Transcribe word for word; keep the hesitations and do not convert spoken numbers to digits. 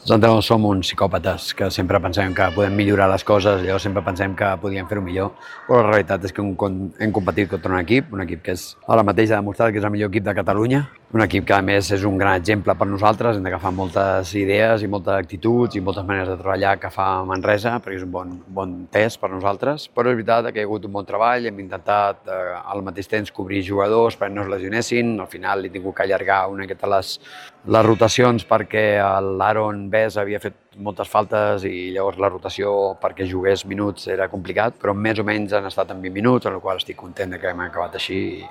Els entrenadors som uns psicòpates que sempre pensem que podem millorar les coses, llavors sempre pensem que podíem fer-ho millor, però la realitat és que hem competit contra un equip, un equip que és ara mateix ha demostrat que és el millor equip de Catalunya, un equip que a més és un gran exemple per nosaltres, hem d'agafar moltes idees i moltes actituds i moltes maneres de treballar que fa Manresa, perquè és un bon, bon test per nosaltres, però és veritat que hi ha hagut un bon treball, hem intentat eh, al mateix temps cobrir jugadors perquè no es lesionessin, al final he tingut que allargar una miqueta les, les rotacions perquè l'Aaron Bes havia fet moltes faltes i llavors la rotació perquè jugués minuts era complicat, però més o menys han estat en vint minuts, amb la qual estic content que hem acabat així.